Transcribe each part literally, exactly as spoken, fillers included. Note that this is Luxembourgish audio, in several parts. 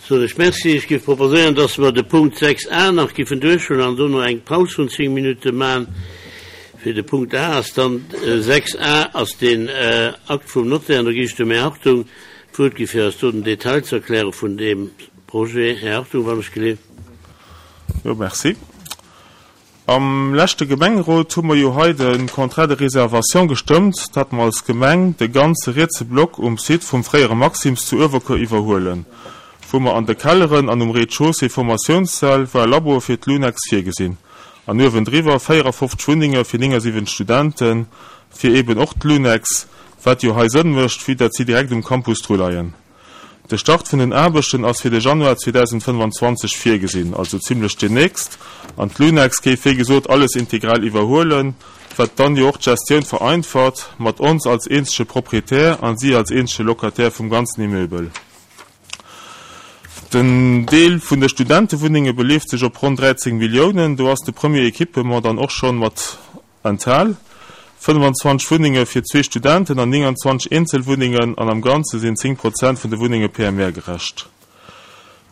Soen ech Merci. Ech géif proposéieren, dass mer de Punkt sechs a nach géifen duerchhuelen an dono eng Paus vun zéng Minutte maachen. Fir de Punkt a ass dann, sechs a ass deen Akt vum Notaire, an do ginn ech dem Här Hartung d'Wuert gi fir eis do den Detail ze erkläre vun deem Projet. Här Hartung, wann ech geleeft. Jo, merci. Am leschte Gemengerot hu mer jo hei de Contrat de réservation gestëmmt, datt mer als Gemeng de ganze rietse Block um Site vum fréiere Maxim's zu Uewerkuer iwwerhuelen, wou mer an de Kelleren an um Rez-de-chaussée Formatiounssäll war Laboe fir d'LUNEX virgesinn an uewendriwwer véierafofzeg Wunnenge fir néngasiwwenzeg Studenten, fir eben och d'LUNEX, wat jo hei Sënn mécht, vue dat si direkt um Campus dru leien. De Start vun den Aarbechten ass fir de Januar zweedausendfënnwanzwanzeg virgesinn, also zimlech demnächst, an d'LUNEX géif wéi gesot alles integral iwwerhuelen, wat dann jo och d'Gestioun vereinfacht, mat ons als eenzege Proprietär an si als eenzege Locataire vum ganzen Immeubel. Den Deel vun de Studentewunnenge beleeft sech op ronn dräizéng Milliounen, do ass de Premier Equipement dann och schonn mat enthal, fënnwanzwanzeg Wunnenge fir zwee Studenten an nénganzwanzeg Eenzelwunnengen, an am Ganze sinn zéng Prozent vun de Wunnenge P M R-gerecht.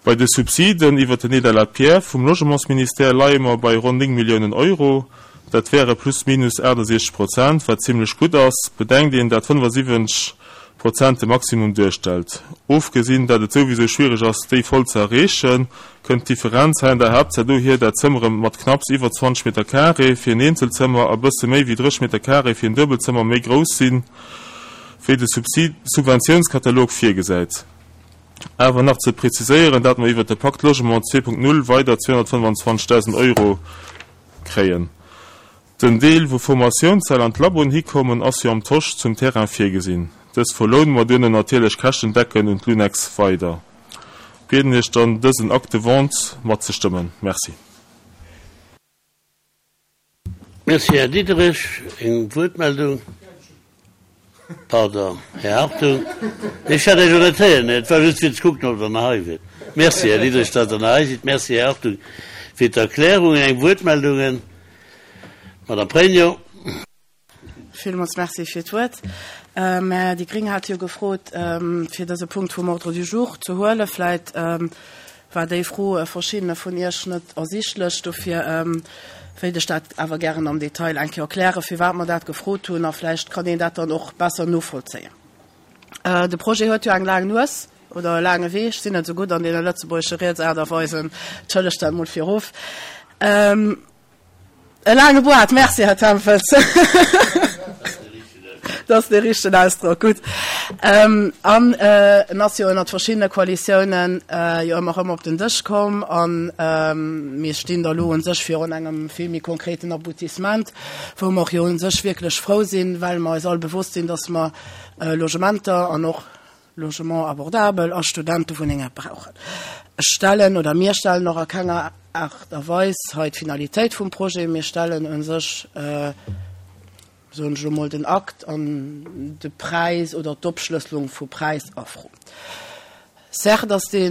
Bei de Subsiden iwwer den Aide à la pierre vum Logementsministère leie mer bei ronn néng Milliounen Euro, dat wäre plus minus aachtasechzeg Prozent, wat zimlech gutt ass, bedenkt een, dat fënnfasiwwenzeg Prozent de Maximum duerstellt. Ofgesinn, dat et souwisou schwiereg ass, déi voll ze erreechen, kënnt d'Differenz hei an der Haaptsaach dohier, dat Zëmmere mat knapps iwwer zwanzeg Meter Carré fir en Eenzelzëmmer a bësse méi wéi drësseg Meter Carré fir en Duebelzëmmer méi grouss sinn, wéi de Subventiounskatalog virgesäit. Awer nach ze preziséieren, dat mer iwwer de Pacte Logement zwee Punkt null weider zweehonnertfënnwanzwanzegdausend Euro kréien. Den Deel, wou Formatiounssäll an d'Laboen hikommen, ass jo am Tosch zum Terrain virgesinn. Dës verloune mer duerno natierlech käschtendeckend un d'LUNEX weider. Bieden Iech dann, dësen Acte de vente matzestëmmen. Merci. Merci, Här Diderich. Eng Wuertmeldung? Pardon, Här Hartung. Ech hat Iech jo net héieren. Et war just fir ze kucken, ob Der nach hei wiert. Merci, Här Diderich, datt Der nach hei sidd. Merci, Här Hartung, fir d'Erklärungen. Eng Wuertmeldungen? Madame Pregno. Villmools Merci fir d'Wuert. Mä déi Gréng hat jo gefrot, fir dëse Punkt vum Ordre du jour ze huelen. Vläit war déi Fro verschiddene vun Iech net ersichtlech. Dofir wéilt ech dat awer gären am Detail eng Kéier erklären, firwat mer dat gefrot hunn, a vläicht kann een dat dann och besser novollzéien. De Projet huet jo eng laang Nues oder e laange Wee. Ech sinn net esou gutt an deene lëtzebuergesche Riedsaart a Weisen, entschëllegt dat mol virof. E laange Boart, merci Här Tempels. Dat ass dee richtegen Ausdrock, gutt. An en ass jo ënnert verschiddene Koalitiounen jo ëmmer erëm op den Dësch komm a mir stinn da lo u sech virun engem vill méi konkreten Aboutissement, wou mer och jo u sech wierklech frou sinn, well mer eis all bewosst sinn, dass mer Logementer an och Logement abordable a Studentewunnenge brauchen. Ech stellen, oder mir stellen och a kenger Aart a Weis hei d'Finalitéit vum Projet. Mir stellen u sech, soen ech elo mol, den Akt an de Präis oder d'Opschlësselung vu Präis a Fro. Certes ass dee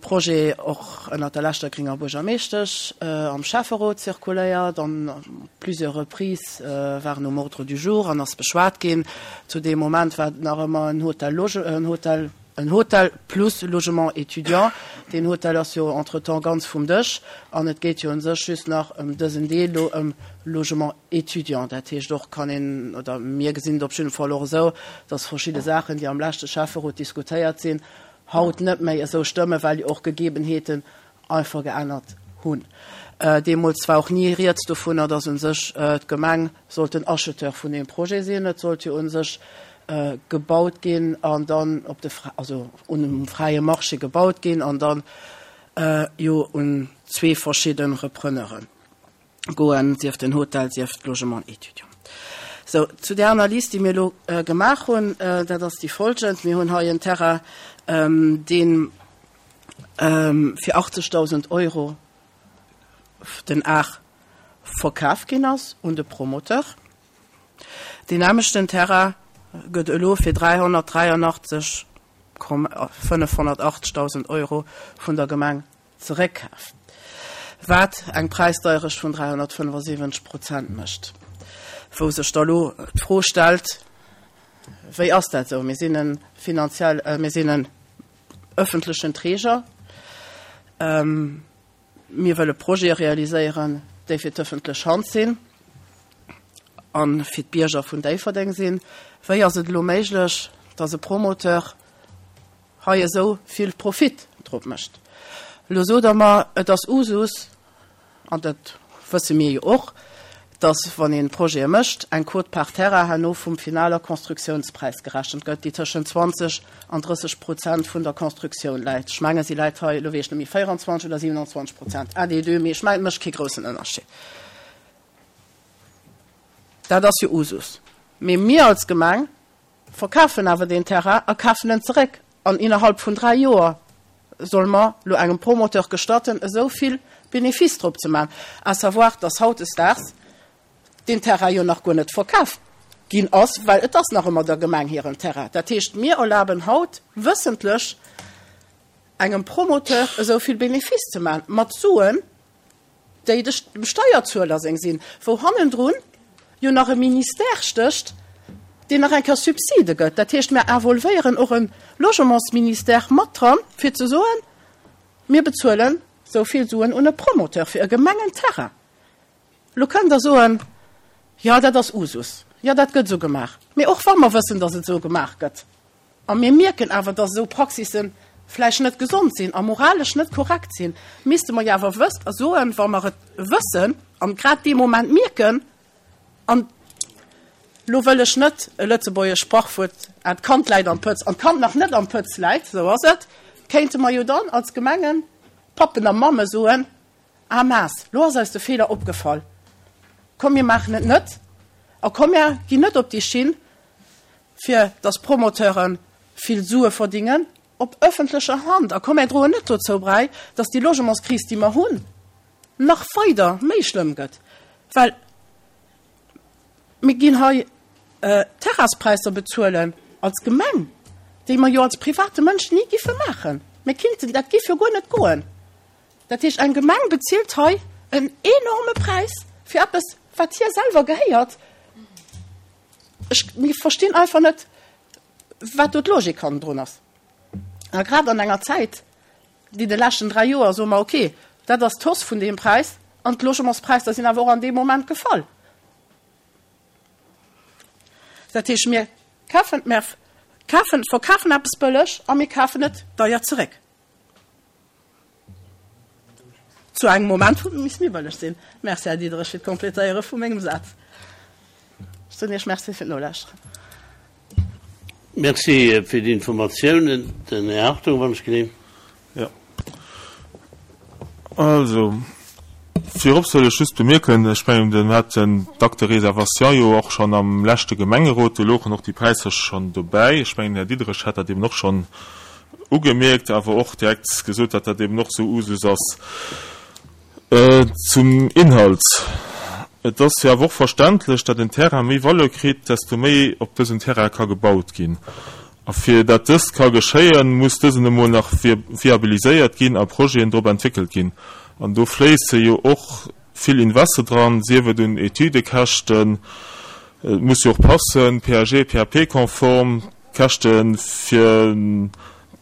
Projet och ënnert der leschter grénger Buergermeeschtesch am Schäfferot zirkuléiert an plusieurs reprises war en um Ordre du jour an ass beschwat ginn. Zu deem Moment war et nach ëmmer en Hotel, en Hotel, en Hotel plus Logement étudiant. Deen Hotel ass jo entretemps ganz vum Dësch an et geet jo u sech just nach ëm dësen Deel do, ëm Logement étudiant. Dat heescht och kann een, oder mir gesinn et op jidde Fall och esou, dass verschidde Saachen, déi am leschte Schäfferot diskutéiert sinn, haut net méi esou stëmmen, well jo och Gegebenheeten einfach geännert hunn. Deemools war och ni rieds dovunner, dass u sech d'Gemeng sollt den Acheteur vun deem Projet sinn. Et sollt jo u sech gebaut ginn an dann op de, also um fräie Marché gebaut ginn an dann jo un zwee verschidde Repreneuren goen, sief den Hotel, sief d'Logement étudiant. Sou, zu där Analys, déi mir elo gemaach hunn, dat ass déi folgend. Mir hunn hei en Terrain, dee fir achtzegdausend Euro den Ar verkaf ginn ass un de Promoteur. Deen nämlechten Terrain gëtt elo fir dräihonnertdräianachtzeg fënnefhonnertachtzegdausend Euro vun der Gemeng zeréckkaf, wat eng Präisdeierecht vun dräihonnertfënnefasiwwenzeg Prozent mécht, wou sech da lo d'Fro stellt, wéi ass dat esou? Mir sinn e finanziell, mir sinn e ëffentlechen Träger. Mir wëlle Projete realiséieren, déi fir d'ëffentlech Hand sinn a fir d'Bierger vun Déifferdeng sinn. Wéi ass et elo méiglech, dass e Promoteur hei esou vill Profit drop mécht? Elo sot Der mer, et ass Usus, an dat wësse mir jo och, dass, wann ee Projete mécht, eng Quote-part terrain herno vum finaler Constructiounspräis gerechent gëtt, déi tëschent zwanzeg an drësseg Prozent vun der Constructioun läit. Ech menge si läit hei, elo weess ech net méi, véierundzwanzeg oder siewenundzwanzeg Prozent, un des deux, mee ech mengen, et mécht kee groussen Ënnerscheed. Dat ass jo Usus. Mee mir als Gemeng verkafen awer deen Terrain a kafen en zeréck an innerhalb vun dräi Joer solle mer lo engem Promoteur gestatten, esou vill Bénéfice drop ze maachen, à savoir, dass hautdesdaags deen Terrain jo nach guer net verkaf ginn ass, well et ass nach ëmmer der Gemeng hiren Terrain. Dat heescht, mir erlaben haut wëssentlech engem Promoteur esou vill Bénéfice ze maachen, mat Suen, déi dem Steierzueler seng sinn, wou hannendrun jo nach e Ministère stécht, deen nach eng Kéier Subside gëtt. Dat heescht, mir involvéieren och e Logementsministère mat dran, fir ze soen, mir bezuelen esou vill Suen un e Promoteur fir e Gemengenterrain. Lo kënnt Der soen, jo, dat ass Usus, jo, dat gëtt esou gemaach. Mee och wa mer wëssen, datt et esou gemaach gëtt, a mir mierken awer, datt esou Praxisse vläicht net gesond sinn a moralesch net korrekt sinn, misste mer jo awer wëss a soen, wa mer et wëssen an grad dee Moment mierken, an lo wëll ech net e lëtzebuergescht Sprachwuert, ah, d'Kand läit am Pëtz, an d'Kand nach net am Pëtz läit, esou ass et, kéinte mer jo dann als Gemengepappen a Mamme soen, Ah maas, lo ass eis de Feeler opgefall, komm mir maachen et net a komm mir ginn net op déi Schinn, fir dass Promoteure vill Sue verdingen op ëffentlecher Hand a komm mir droen net dozou bräi, dass déi Logementskris, déi mer hunn, nach weider méi schlëmm gëtt, well mir ginn hei Terraspräisser bezuelen als Gemeng, déi mer jo als private Mënsch ni giffe maachen. Mir kinnten, dat giff jo guer net goen. Dat heescht, eng Gemeng bezilt hei en enorme Präis fir eppes, wat hir selwer gehéiert. Ech, mir verstinn einfach net, wat do d'Logik hannendrun ass. A grad an enger Zäit, déi de leschten dräi Joer, soe mer, okay, dat ass d'Hausse vun deem Präis an d'Logementspräisser sinn awer och an deem Moment gefall. Dat heescht, mir kafen, mir kafen, verkafen eppes bëlleg a mir kafen et deier zeréck. Zu engem Moment, wou et misst méi bëlleg sinn. Merci, Här Diderich, fir d'Kompletéiere vu mengem Saz. Ech soen Iech Merci fir d'Nolauschteren. Merci fir déi Informatiounen. Den Här Hartung, wann ech genehm. Jo. Also, virop soll ech just bemierken, ech mengen, mir haten d'Acte de réservation jo och schonn am leschte Gemengerot, do louchen och déi Präisser schonn dobäi. Ech mengen, den Här Diderich hat dat eben och schonn ugemierkt, awer och direkt gesot, datt dat eben och esou Usus ass. Zum Inhalt, Et ass jo awer och verständlech, datt en Terrain méi Valeur kritt, desto méi op dësem Terrain ka gebaut ginn. A fir datt dëst ka geschéien, muss dësen emol nach viabiliséiert ginn a Projeten drop entwéckelt ginn. An do fléisse jo och vill Investe dran, sief et un Etüdekäschten, et muss jo och passen, P A G, P A P-konform, Käschte fir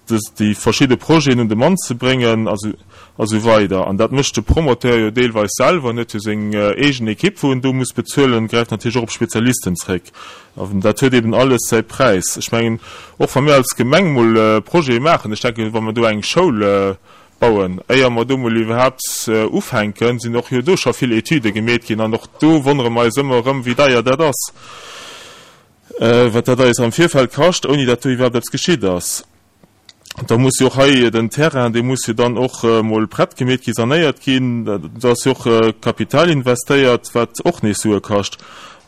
déi verschidde Projeten un de Mann ze bréngen a sou weider. An dat mécht de Promoteur jo deelweis selwer, en huet jo seng eegen Ekipp, wou en do muss bezuelen, gräift natierlech och op Spezialisten zréck. An dat huet eben alles säi Präis. Ech mengen, och wa mir als Gemeng mol Projete maachen, ech denken, wa mer do eng Schoul bauen, éier mer do mol iwwerhaapt ufänken, sinn och jo do scho vill Etüde gemeet ginn. An och do wonnere mer eis ëmmer erëm, wéi deier dat ass, wat dat eis am Virfeld kascht, ouni datt do iwwerhaapt eppes geschitt ass. Da muss jo och hei den Terrain, dee muss jo dann och emol prett gemeet ginn, sanéiert ginn. Do ass jo och Kapital investéiert, wat och nees Sue kascht.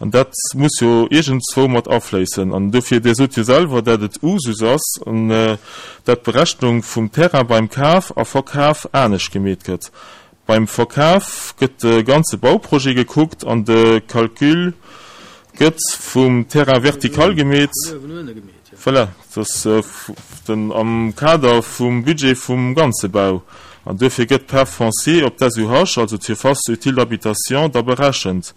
An dat muss jo iergendzwou mat afléissen. An dofir, Dir sot jo selwer, dat et Usus ass an dat d'Berechnung vum Terrain beim Kaf a Verkaf anescht gemeet gëtt. Beim Verkaf gëtt de ganze Bauprojet gekuckt an de Calcul gëtt vum Terrain vertical gemeet. Voilà, dat ass den am Kader vum Budget vum ganze Bau. An duerfir gëtt d'Part foncier op d'S U H, also d'Surface utile d'habitation, da berechent.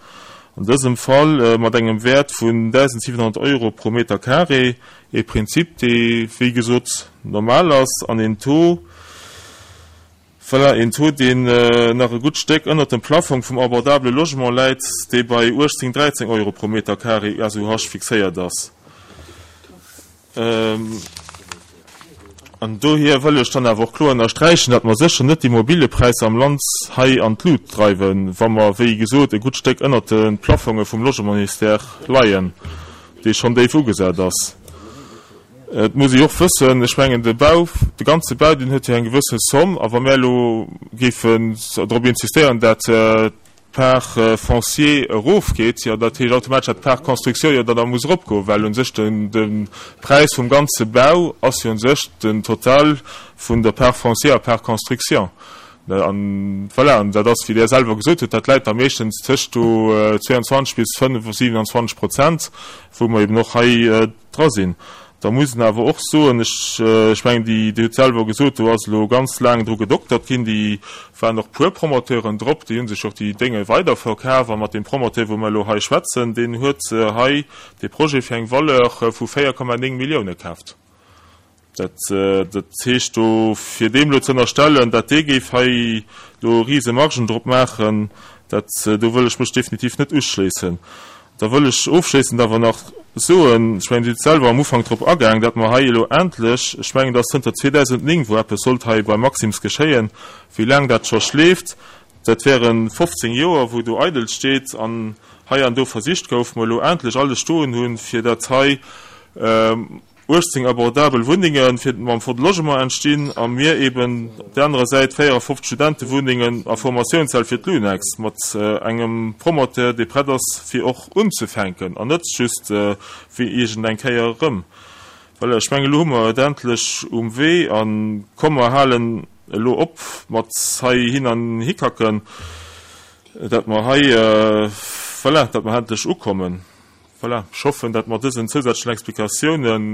An dësem Fall mat engem Wäert vun daisendsiewenhonnert Euro pro Meter carré, ee Prinzip, dee wéi gesot normal ass, an een Taux, voilà, een Taux, deen nach e gutt Stéck ënnert dem Plaffong vum abordabele Logement läit, dee bei uechtzéng, dräizéng Euro pro Meter carré S U H fixéiert ass. An dohier wëll ech dann awer och kloer ënnersträichen, datt mer sécher net d'Immobiliëpräisser am Land hei an d'Lut dreiwen, wa mer, wéi gesot, e gutt Stéck ënnert de Plaffonge vum Logementsministère leien, dee schonn déif ugesat ass. Et muss ee och wëssen, ech mengen, de Bau, de ganze Bau, deen huet jo eng gewësse Somm, a wa mir elo géifen drop insistéieren, dat d'Part foncier erofgeet, jo, dat heescht automatesch, dat d'Part construction jo dann da muss eropgoen, well u sech den, de Präis vum ganze Bau ass jo u sech den Total vun der Part foncier a Part construction. An voilà, an dat ass, wéi Der selwer gesot hutt, dat läit da meeschtens tëscht do zweiundzwanzeg bis fënnef-, siewenundzwanzeg Prozent, wou mer eben och hei dra sinn. Da muss een awer och soen, ech, ech mengen, déi, Dir hutt selwer gesot, do ass elo ganz laang dru gedoktert ginn, déi waren och puer Promoteuren drop, déi hu sech och déi Dénge weiderverkaf, a mat deem Promoteur, wou mer elo hei schwätzen, deen huet hei dee Projet fir eng Valeur vu véier Komma néng Millioune kaaft. Dat, dat heescht do, fir deem elo ze ënnerstellen, dat dee géif hei elo rise Margen drop maachen, dat, do wëll ech mech definitiv net uschléissen. Da wëll ech ofschléissend awer nach soen, ech mengen, Dir hutt selwer am Ufank drop agaang, datt mer hei elo endlech, ech mengen, dat ass zënter zweedausendnéng, wou eppes sollt hei bei Maxim's geschéien, wéi laang dat scho schleeft, dat wären fofzéng Joer, wou do eidel steet an hei an do versicht gouf, mer elo endlech alles stoen hunn, fir dat hei uechtzéng abordabel Wunnenge fir mam Fonds de Logement entstinn a mir eben op der anerer Säit véierafofzeg Studentewunnengen a Formatiounshäll fir d'Lunex mat engem Promoteur, dee prett ass fir och unzefänken an net just wéi iergendeng Kéier erëm. Voilà, ech mengen, elo hu mer et endlech um Wee a komm, mer halen elo op mat hei hin an hikacken, dat mer hei, voilà, dat mer endlech ukommen. Voilà, ech hoffen, datt mat dësen zousätzlechen Explikatiounen,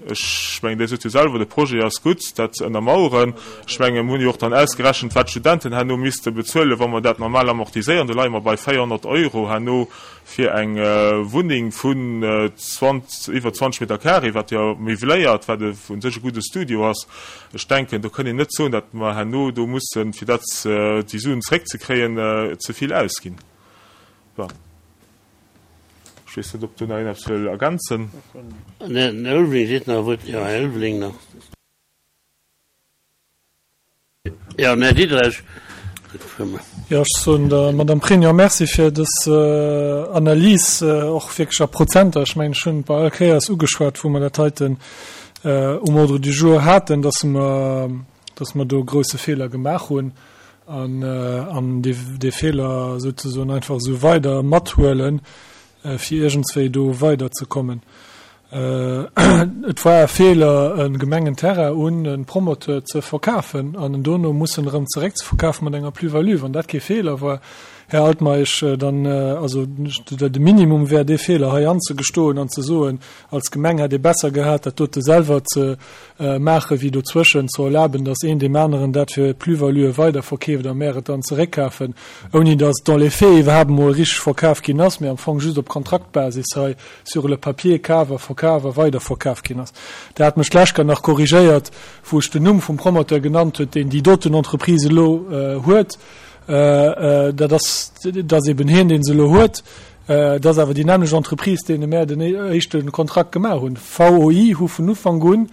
ech mengen, Dir sot jo selwer, de Projet ass gutt, dat ze ënnermauern. Ech mengen, mir hunn jo och dann ausgerechent, wat d'Studenten herno misste bezuelen, wa mer dat normal amortiséieren. Do leie mer bei véierhonnert Euro herno fir eng Wunneng vun iwwer zwanzeg Meter carré, wat jo meubliert, wat u sech e gudde Studio ass. Ech denken, do kënnt een net soen, datt mer herno do mussen, fir dat, déi Suen zeréckzekréien, ze vill ausginn. Bon. Ech weess net, ob do nach een eppes wëll ergänzen. Den Här Ulveling seet nach e Wuert. Jo, Här Ulveling nach. Jo, den Här Diderich. Jo, ech soen der Madame Pregno Merci fir dës Analys, och wierklech a Prozenter. Ech mengen, ech hunn et bei all Kéiers ugeschwat, wou mer dat heiten um Ordre du jour haten, dass mer, dass mer do e grouse Feeler gemaach hunn an, an dee, dee Feeler souzesoen einfach esou weider mathuelen, fir iergendswéi do weiderzekommen. Et war e Feeler, e Gemengenterrain un e Promoteur ze verkafen an en dono mussen erëm zeréckzeverkafen mat enger Plus-value. Wann dat kee Feeler war, Här Altmeisch, dann, also de Minimum wär dee Feeler hei anzegestoen an ze soen, als Gemeng hätt ee besser gehat, dat dote selwer ze maachen, wéi dozwëschen ze erlaben, datt een deem aneren dat fir Plus-value weiderverkeeft a mär et dann zeréckkafen, ouni datt dans les faits iwwerhaapt emol richteg verkaf ginn ass, mee am Fong just op Kontraktbasis hei sur le papier kaf a verkaf a weiderverkaf ginn ass. Der hat mech d'lescht Kéier nach korrigéiert, wou ech den Numm vum Promoteur genannt huet, deen déi doten Entreprise elo huet. Dat ass, dat ass eben hien, deen se elo huet. Dat ass awer déi nämmlecht Entreprise, deene mär den éischte Kontrakt gemaach hunn. V O I hu vun Ufank un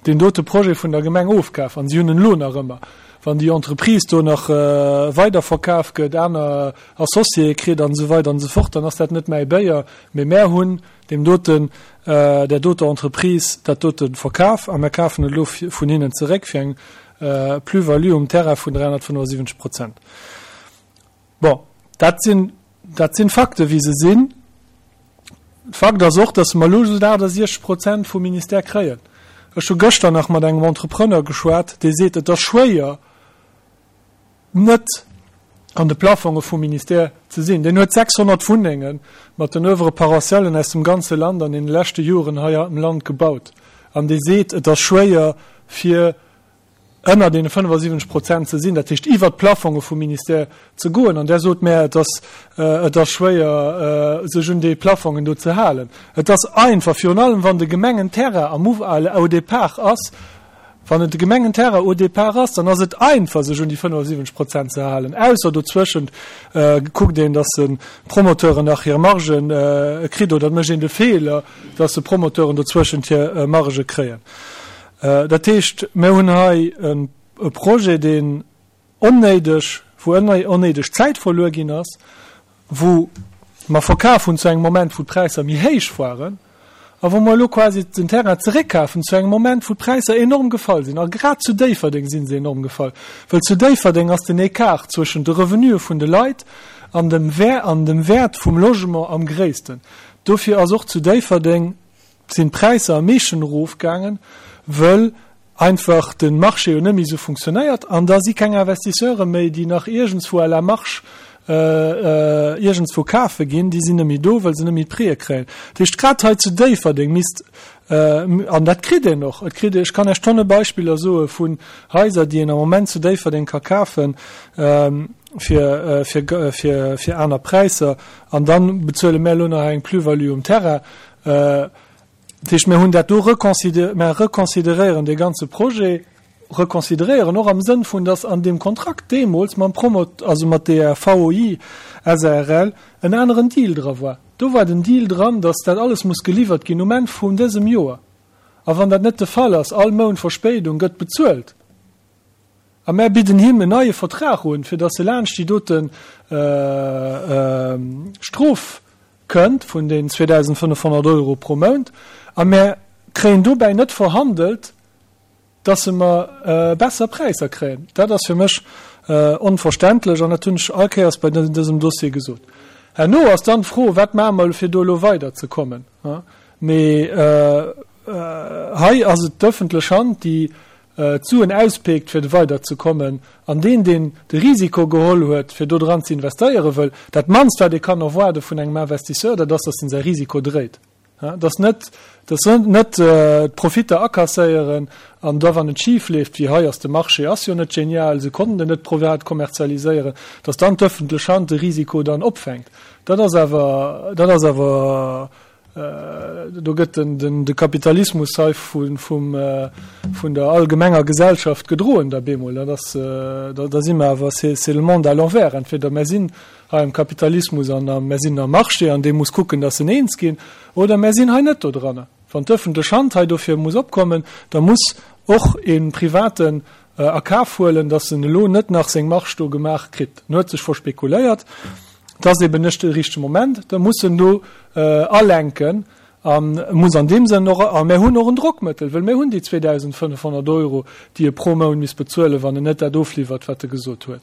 deen dote Projet vun der Gemeng ofkaf an si hunn en elo nach ëmmer. Wann déi Entreprise do nach weiderverkaf gëtt, aner Associéë kritt an esou weider an esou fort, dann ass dat net mäi Béier, mee mär hunn deem doten, där doter Entreprise dat dote verkaf a mär kafen et elo vun hinnen zeréck fir eng Plus-value um Terrain vun dräihonnertfënnefundsiwwenzeg Prozent. Bon, dat sinn, dat sinn d'Fakten, wéi se sinn. Fakt ass och, dass mer elo just achtasiechzeg Prozent vum Ministère kréien. Ech hu gëschter nach mat engem Entrepreneur geschwat, dee seet, et ass schwéier, net an de Plafonge vum Ministère ze sinn. Deen huet sechshonnert Wunnenge mat den Oeuvres paroissialen aus dem ganze Land an deene leschte Joren hei am Land gebaut. An dee seet, et ass schwéier, fir ënner deene fënnefasiwwenzeg Prozent ze sinn, dat heescht iwwert d'Plafonge vum Ministère ze goen. An Der sot mär, et ass, et ass schwéier, sech un déi Plafongen do ze halen. Et ass einfach, virun allem wann de Gemengenterrain am au départ ass, wann et de Gemengenterrain au départ ass, dann ass et einfach, sech un déi fënnefasiwwenzeg Prozent ze halen, ausser dozwëschent kuckt een, dass de Promoteuren nach hir Margen kritt, oder et mécht een de Feeler, dass de Promoteuren dozwëschent hir Marge kréien. Dat heescht, mir hunn hei e Projet, deen onnéideg, wou onnéideg Zäit verluer ginn ass, wou mer verkaf hunn zu engem Moment, wou d'Präisser méi héich waren, a wou mer elo quasi den Terrain zeréckkafen zu engem Moment, wou d'Präisser enorm gefall sinn. A grad zu Déifferdeng si se enorm gefall, well zu Déifferdeng ass den Ecart zwëschen de Revenuë vun de Leit an dem an dem Wäert vum Logement am gréissten. Dofir ass och zu Déifferdeng sinn d'Präisser am meeschten erofgaangen, wëll einfach de Marché jo net méi esou funktionéiert an da si keng Investisseure méi, déi nach iergendswou à la marge iergendswou kafe ginn, déi sinn net méi do, wëll se net méi d'Prixë kréien. Dat heescht, grad hei zu Déifferdeng misst, an dat kritt een och, et kritt ee, ech kann Iech tonne Beispiller soe vun Haiser, déi een am Moment zu Déifferdeng ka kafen fir, fir, fir, fir aner Präisser an da bezuele mär elo nach eng Plus-value um Terrain. Dat heescht, mir hunn dat do reconsidéiert, mir reconsideréieren dee ganze Projet, reconsideréieren och am Sënn vun, dass an deem Kontrakt deemools mam Promot, also mat der V O I S A R L en aneren Deal dra war. Do war den Deal dran, dass dat alles muss geliwwert ginn um Enn vun dësem Joer. A wann dat net de Fall ass, all Mount Verspéidung gëtt bezuelt. A mär bidden him en neie Vertrag un, fir dass e laanscht déi doten Strof kënnt vun den zweedausendfënnefhonnert Euro pro Mount, a mär kréien dobäi net verhandelt, dass se mer besser Präisser kréien. Dat ass fir mech onverständlech an dat hunn ech all Kéiers bei dësem Dossier gesot. Herno ass dann d'Fro, wat maache mer, fir do elo weiderzekommen. Mee hei ass et d'ëffentlech Hand, déi d'Suen auspickt, fir weiderzekommen. An deen, deen de Risiko geholl huet, fir do dran ze investéiere wëll, dat mannst, wat ee kann erwaarde vun engem Investisseur, dat ass, dass en säi Risiko dréit. Dass net, dass net d'Profitter akasséieren an da, wann et schif leeft, wéi hei ass, de Marché ass jo net genial, se konnten en net privat kommerzialiséieren, dass dann d'ëffentlech Hand de Risiko dann opfänkt. Dat ass awer, dat ass awer, do gëtt den, den, de Kapitalismus hei vun, vum, vun der allgemenger Gesellschaft gedroen, da bemol. Dat ass, da, da si mer awer, c'est, c'est le monde à l'envers. Entweder mer sinn hei am Kapitalismus an am, mer sinn am Marché an dee muss kucken, dass en eens ginn, oder mer sinn hei net do dran. Wann d'ëffentlech Hand hei dofir muss opkommen, da muss och een privaten a Kaf huelen, dass en elo net nach seng Marge do gemaach kritt. En huet sech verspekuléiert. Dat ass eben net de richtege Moment, da muss en do alenken an muss an deem Sënn och, a mir hunn och en Drockmëttel, well mir hunn déi zweedausendfënnefhonnert Euro, déi e pro Mount misst bezuelen, wann en net dat ofliwwert, wat e gesot huet.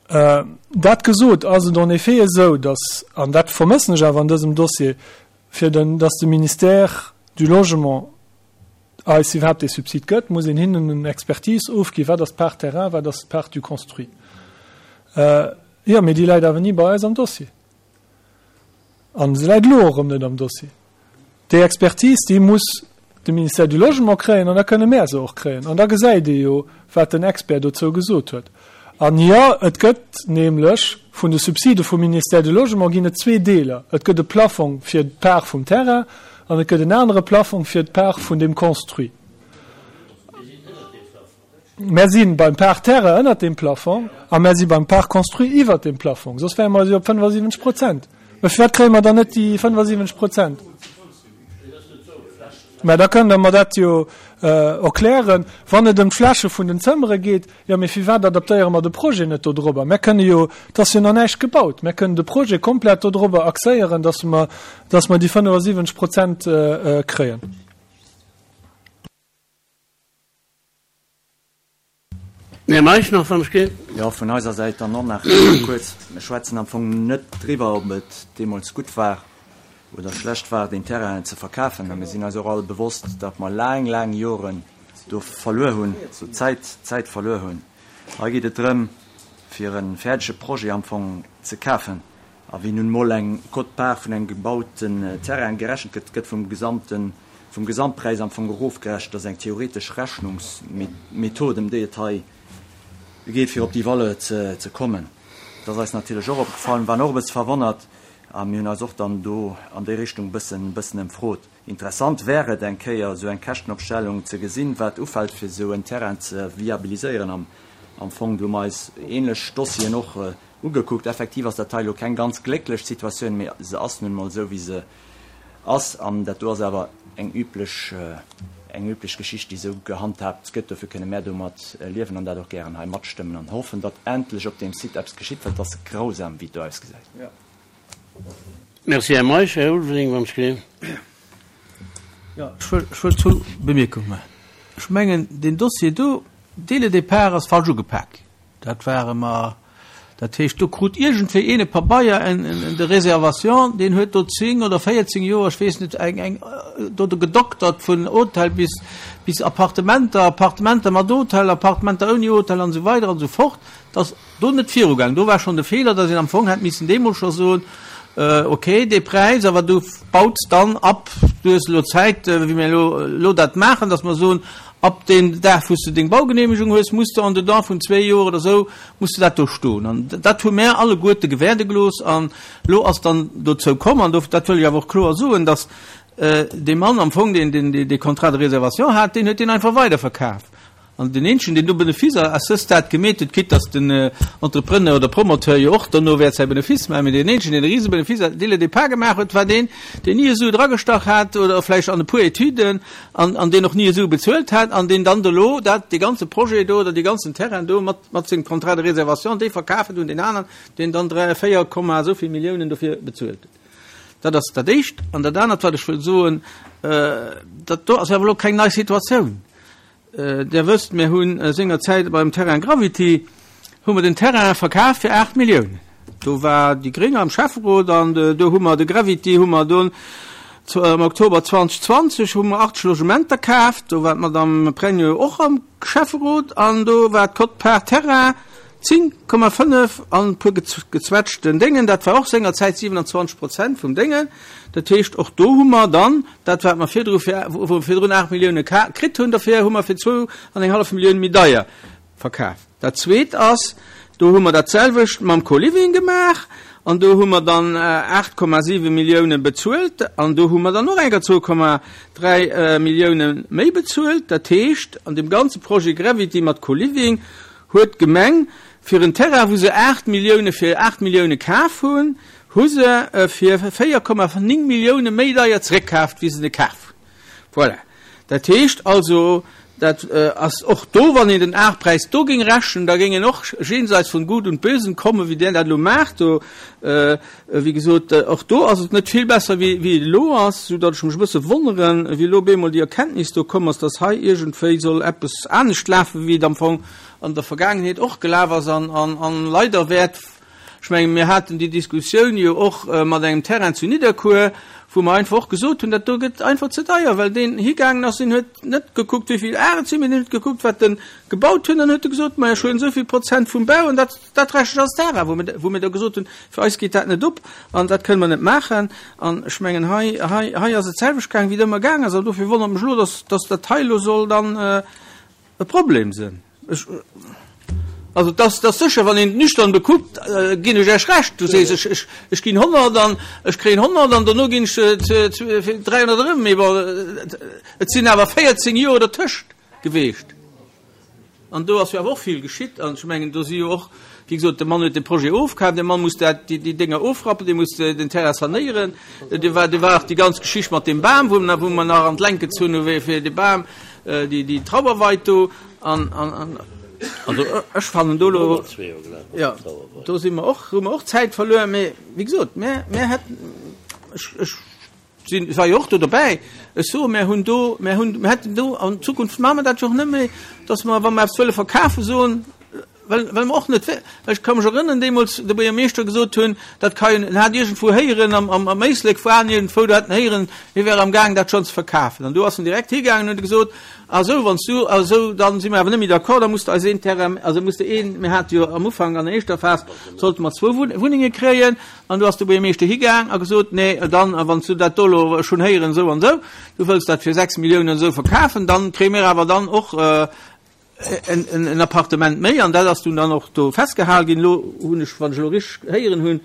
Dat gesot, ass et en effet esou, dass, an dat vermëssen ech awer an dësem Dossier, fir den, dass de Ministère du Logement eis iwwerhaapt dee Subsid gëtt, muss een hinnen en Expertise ofginn, wat ass d'Part terrain, wat ass d'Part du construit. Jo, mee déi läit awer ni bei eis am Dossier. An se läit elo och erëm net am Dossier. Déi Expertise, déi muss de Ministère du Logement kréien an da kënne mär se och kréien. An da gesäit ee jo, wat den Expert dozou gesot huet. An jo, et gëtt nämlech vun de Subside vum Ministère du Logement ginn et zwee Deeler. Et gëtt e Plafong fir d'Part vum Terrain an et gëtt en anere Plafong fir d'Part vun dem Construit. Mär si beim Part terrain ënnert dem Plafong a mär si beim Part construit iwwert dem Plafong. Soss wäre mer jo op fënnefasiwwenzeg Prozent. Mä firwat kréie mer dann net déi fënnefasiwwenzeg Prozent? Mä da kënnt Der mer dat jo erklären. Wann et ëm d'Fläche vun den Zëmmere geet, jo, mee firwat adaptéiere mer de Projet net dodrobber? Mär kënne jo, et ass jo nach näischt gebaut, mär kënnen de Projet komplett dodrobber axéieren, dass mer, dass mer déi fënnefasiwwenzeg Prozent kréien. Här Meisch nach, wann ech geet. Jo, vun eiser Säit dann och nach kuerz. Mir schwätzen am Fong net driwwer, ob et deemools gutt war oder schlecht war, den Terrain ze verkafen. A mir sinn eis och all bewosst, datt mer laang, laang Joren do verluer hunn, so Zäit, Zäit verluer hunn. Hei geet et drëm, fir e fäerdege Projet am Fong ze kafen. A wéi nun mol eng Quote-part vun engem gebauten Terrain gerechent gëtt, gëtt vum gesamten vum Gesamtpräis am Fong erofgerechent. Dat ass eng theoretesch Rechnungsmethod, ëm déi et hei geet, fir op déi Valeur ze, ze kommen. Dat ass eis natierlech och opgefallen, waren och e bësse verwonnert a mir hunn eis och dann do an déi Richtung e bëssen, bëssen ëmfrot. Interessant wär et eng Kéier esou eng Käschtenopstellung ze gesinn, wat ufält fir esou en Terrain ze viabiliséieren. Am, am Fong, do hu mer eis ähnlech Dossieren och ugekuckt. Effektiv ass dat hei elo keng ganz glécklech Situatioun, mee se ass nun emol esou wéi se ass. An dat do ass awer eng üblech, eng üblech Geschicht, déi esou gehandhaabt gëtt. Dofir kënne mär domat liewen an dat och gären hei matstëmmen an hoffen, datt endlech op deem Site eppes geschitt, well et ass grausam, wéi et do ausgesäit. Merci, Här Meisch. Här Ulveling, wann ech gleewen. Jo, ech wëll, ech wëll zwou Bemierkunge maachen. Ech mengen, deen Dossier do, dès le départ ass falsch ugepak ginn. Dat ware mer, dat heescht, do krut iergendwéi een e Pabeier en, en de réservation, deen huet do zéng oder véierzéng Joer, ech weess net, eng, eng, do do gedoktert vun Hotel bis, bis Appartementer, Appartementer mat Hotel, Appartementer ouni Hotel an esou weider an esou fort. Dat ass do net virugaangen. Do war schonn de Feeler, dass een am Fong hätt missen deemools scho soen, Ok, dee Präis, awer du baus dann ab, du hues elo Zäit, wéi mir elo elo dat maachen, dass mer soen, ab deem Dag, wou s de deng Baugenehmegung hues, muss de en dedans vun zwee Joer oder esou, muss de dat do stoen. An dat hu mär alleguerte gewäerde gelooss. An elo ass dann dozou komm, an dat wëll ech awer och kloer soen, dass dee Mann am Fong, deen deen dee Contrat de réservation hat, deen huet deen einfach weiderverkaf. An den eenzegen, deen do Benefice à ce stade gemeet huet, quitte dass den Entrepreneur oder Promoteur jo och dono wäert säi Benefice maachen, mee deen eenzegen, deen e Risebenefice dès le départ gemaach huet, war deen, deen ni e Su dragestach hat oder vläicht an e puer Etüden an, an deen och ni e Su bezuelt hat an deen dann elo dat, dee ganze Projet do oder dee ganzen Terrain do mat, mat sengem Contrat de réservation, dee verkaf huet un deen aneren, deen dann dräi, véier Komma esou vill Milliounen dofir bezuelt huet. Dat ass dat Éischt. An dat anert, wat ech wëll soen, dat do ass awer elo keng nei Situatioun. Där wësst, mir hu sengerzäit beim Terrain Gravity hu mer den Terrain verkaf fir aacht Milliounen. Do war déi Gréng am Schäfferot an do hu mer de Gravity hu mer dunn am Oktober zweedausendzwanzeg hu mer achtzeg Logementer kaaft. Do war d'Madame Pregno och am Schäfferot an do war d'Quote-part Terrain zéng Komma fënnef an e puer gezwetschten Déngen. Dat war och sengerzäit siewenundzwanzeg Prozent vum Déngen. Dat heescht, och do hu mer dann dat, wat mer virdru fir, wou mer virdrun aacht Millioune kritt hunn dofir, hu mer fir zwou an eng hallef Millioun méi deier verkaf. Dat Zweet ass, do hu mer dat selwecht mam Co-Living gemaach an do hu mer dann aacht Komma siwe Millioune bezuelt an do hu mer dann och enker zwou Komma dräi Millioune méi bezuelt. Dat heescht, an deem ganze Projet Gravity mat Co-Living huet d'Gemeng fir en Terrain, wou se aacht Millioune fir aacht Millioune kaf hunn, hu se e fir véier Komma néng Millioune méi deier zeréckkaaft, wéi se e kaf hunn. Voilà. Dat heescht also, dat ass och do, wann een den Arpräis do géing rechnen, da géing een och jenseits von Gut und Bösen kommen, wéi där dat elo maacht do. Wéi gesot, och do ass et net vill besser, wéi et elo ass, soudatt ech mech e bësse wonneren, wéi elo op eemol déi Erkenntnis do komm ass, datt hei iergendwéi soll eppes anescht lafen, wéi et am Fong an der Vergaangenheet och gelaf ass an leider wäert, ech mengen, mir haten déi Diskussioun jo och mat engem Terrain zu Nidderkuer, wou mer einfach och gesot hunn, dat do gëtt einfach ze deier, well deen higaangen ass, deen huet net gekuckt, wéi vill Ar et sinn, mee deen huet gekuckt, wat en gebaut hunn, an huet e gesot, majo, ech huelen esou vill Prozent vum Bau an dat, dat rechne ech als Terrain, wou mir, wou mir da gesot hunn, fir eis geet dat net op an dat kënne mer net maachen. An ech mengen, hei, hei, hei ass et d'selwecht gaang, wéi et ëmmer gaang ass, an dofir wonnert mech elo, dass, dass dat hei elo soll dann e Problem sinn. Ech, also dass, dass sécher, wann een et nüchtern bekuckt, ginn ech Iech Recht. Du sees, ech, ech, ech ginn honnert an ech kréien honnert an dono ginn ech fir dräihonnert erëm. Mee bon, et sinn awer véierzéng Joer dertëscht geweecht. An do ass jo awer och vill geschitt. An ech mengen, do si jo och, wéi gesot, de Mann huet de Projet ofkaf, de Mann muss dat, déi, déi Dénger ofrappen, dee muss den Terrain sanéieren. Do war, do war och déi ganz Geschicht mat deem Bam, wou mer, wou mer nach an d'Längt gezunn hu fir de Bam, déi, déi Trauerweid do. An, an, an, also ech fannen do elo, jo, do si mer och, hu mer och Zäit verluer. Mee wéi gesot, mär, mär hätten, ech, ech sinn, ech war jo och do dobäi, ech soe mär hunn do, mär hunn, mär hätten do an Zukunft maache mer dat jo och net méi, dass mer, wa mer eppes wëlle verkafen, soen, well, well mer och net, well ech ka mech erënneren, deemools de Buergermeeschter gesot hunn, dat ka jo, en hat iergendwou héieren, am, am, am Éislek war en iergendwou, do hat en héieren, hie wär amgaang dat schonn ze verkafen. An do ass en direkt higaangen an huet gesot, Ah sou, wann s du, ah sou, dann si mer awer net méi d'accord, da muss de eis een Terrain, also muss de een, mir hate jo am Ufank an der éischter Phas, sollte mer zwou Wunnenge kréien, an du ass de Buergermeeschter higaang a gesot, nee, dann, wann s du dat do elo, ech hunn héieren esou an esou, du wëlls dat fir sechs Milliounen esou verkafen, dann kréie mir awer dann och en, en Appartement méi, an dat ass dunn dann och do festgehal ginn. Elo hunn ech, wann ech elo richteg héieren hunn,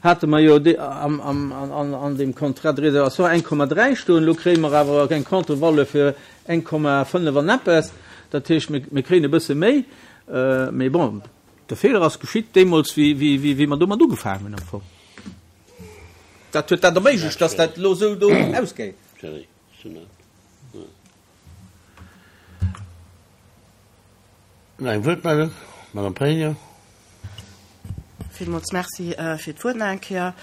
hate mer jo am, am, an, an deem Contrat de réservation eng Komma dräi stoen, elo kréie mer awer eng Contre-valeur fir eng Komma fënnef an eppes. Dat heescht, mir, mir kréien e bësse méi. Mee bon, de Feeler ass geschitt deemools, wéi, wéi, wéi, wéi mer domat ugefaangen hunn am Fong. Dat huet dat erméiglecht, dass dat elo esou do ausgeet. Nach eng Wuertmeldung? Madame Pregno. Villmools Merci fir d'Wuert nach eng Kéier.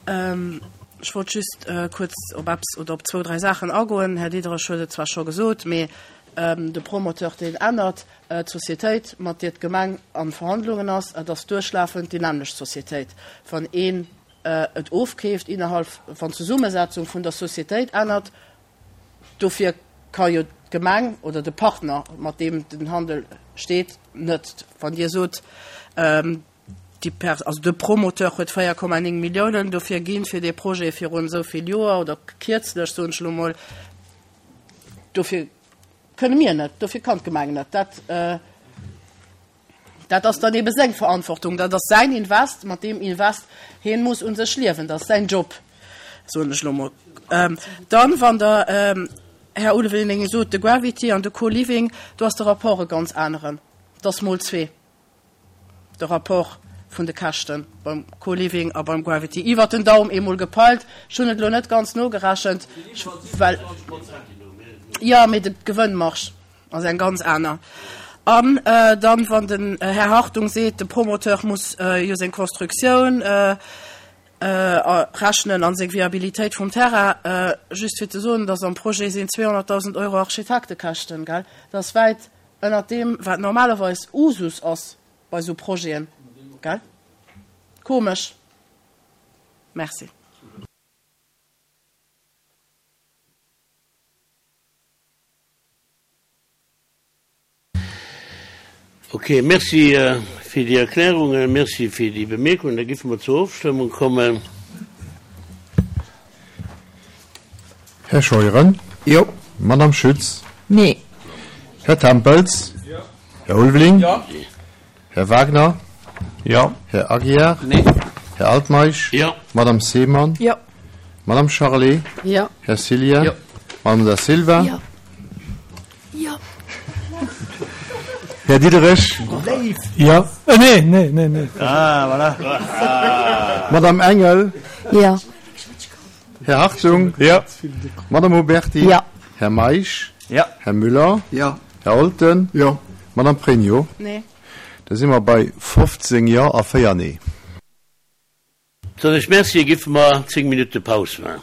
Ech wollt just kuerz op eppes oder op zwou, dräi Saachen agoen. Här Diderich huet et zwar scho gesot, mee de Promoteur, deen ännert d'Societéit, mat deer d'Gemeng a Verhandlungen ass. Et ass duerchlafend déi nämmlecht Societéit. Wann een et ofkeeft innerhalb, wann d'Zesummesetzung vun der Societéit ännert, dofir ka jo d'Gemeng oder de Partner, mat deem den Handel steet, net. Wann Dir sot, déi Pers-, also de Promoteur huet véier Komma néng Milliounen dofir ginn, fir dee Projet virun esou vill Joer oder kierzlech, soen ech elo mol, dofir kënne mir net, dofir kann d'Gemeng net. Dat, dat ass dann ebe seng Verantwortung, dat ass säin Invest, mat deem Invest hien muss u sech liewen, dat ass säin Job, soen ech elo mol. Dann, wann Der, Här Ulveling, sot, de Gravity an de Co-Living, do ass de Rapport e ganz aneren, dat ass mol zwee, de Rapport vun de Käschte beim Co-Living a beim Gravity, iwwert den Daum eemol gepeilt. Ech hunn et elo net ganz nogerechent, well, jo, mee d'Gewënnmarge ass eng ganz aner. An dann, wann den Här Hartung seet, de Promoteur muss jo seng Constructioun rechnen a seng Viabilitéit vum Terrain, just fir ze soen, dass am Projet sinn zweehonnertdausend Euro Architektekäschten, gell? Dat ass wäit ënnert deem, wat normalerweis Usus ass bei esou Projeten, gell? Komesch. Merci. Ok, Merci fir déi Erklärungen, Merci fir déi Bemierkungen. Da giffe mer zur Ofstëmmung kommen. Här Scheuren? Jo. Madame Schütz? Nee. Här Tempels? Jo. Här Ulveling? Jo. Här Wagner? Jo. Här Aguiar? Nee. Här Altmeisch? Jo. Madame Seemann? Jo. Madame Charlé? Jo. Här Cillien? Jo. Madame Da Silva? Jo. Jo. Här Diderich? Jo. Äh, nee, nee, nee, nee. Ah, voilà. Madame Engel? Jo. Här Hartung? Jo. Madame Huberty? Jo. Här Meisch? Jo. Här Müller? Jo. Här Olten? Jo. Madame Pregno? Nee. Da si mer bei fofzéng Jo a véier Nee. Soen ech Merci a giffe mer zéng Minutte Paus maachen.